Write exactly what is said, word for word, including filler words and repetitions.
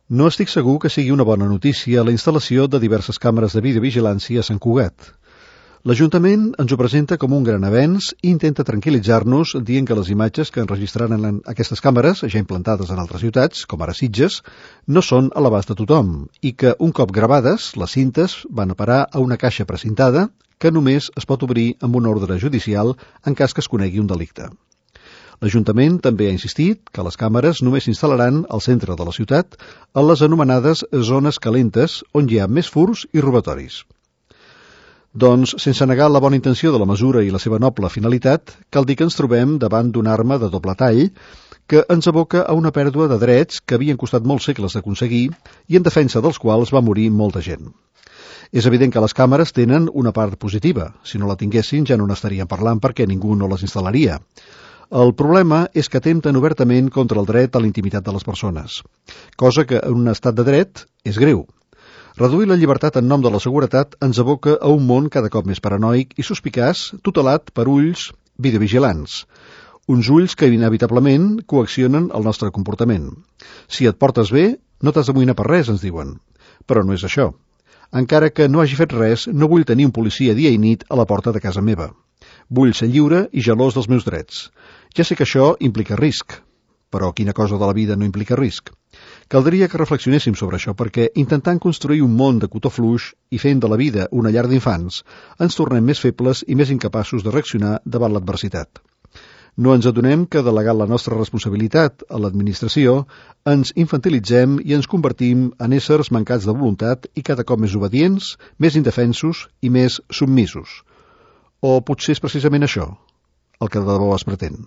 No estic segur que sigui una bona notícia la instal·lació de diverses càmeres de videovigilància a Sant Cugat. L'Ajuntament ens ho presenta com un gran avenç i intenta tranquil·litzar-nos dient que les imatges que enregistraran aquestes càmeres, ja implantades en altres ciutats, com ara Sitges, no són a l'abast de tothom i que, un cop gravades, les cintes van a parar a una caixa precintada que només es pot obrir amb una ordre judicial en cas que es conegui un delicte. L'Ajuntament també ha insistit que les càmeres només s'instal·laran al centre de la ciutat a les anomenades zones calentes, on hi ha més furts i robatoris. Doncs, sense negar la bona intenció de la mesura i la seva noble finalitat, cal dir que ens trobem davant d'una arma de doble tall que ens aboca a una pèrdua de drets que havien costat molts segles d'aconseguir i en defensa dels quals va morir molta gent. És evident que les càmeres tenen una part positiva. Si no la tinguessin ja no n'estaríem parlant perquè ningú no les instal·laria. El problema és que atempten obertament contra el dret a la intimitat de les persones, cosa que en un estat de dret és greu. Reduir la llibertat en nom de la seguretat ens aboca a un món cada cop més paranoic i suspicaç, tutelat per ulls videovigilants. Uns ulls que inevitablement coaccionen el nostre comportament. Si et portes bé, no t'has d'amoïnar per res, ens diuen. Però no és això. Encara que no hagi fet res, no vull tenir un policia dia i nit a la porta de casa meva. Vull ser lliure i gelós dels meus drets. Ja sé que això implica risc, però quina cosa de la vida no implica risc? Caldria que reflexionéssim sobre això perquè intentant construir un món de cotó fluix i fent de la vida una llar d'infants, ens tornem més febles i més incapaços de reaccionar davant l'adversitat. No ens adonem que delegant la nostra responsabilitat a l'administració ens infantilitzem i ens convertim en éssers mancats de voluntat i cada cop més obedients, més indefensos i més submisos. O potser és precisament això el que de debò es pretén.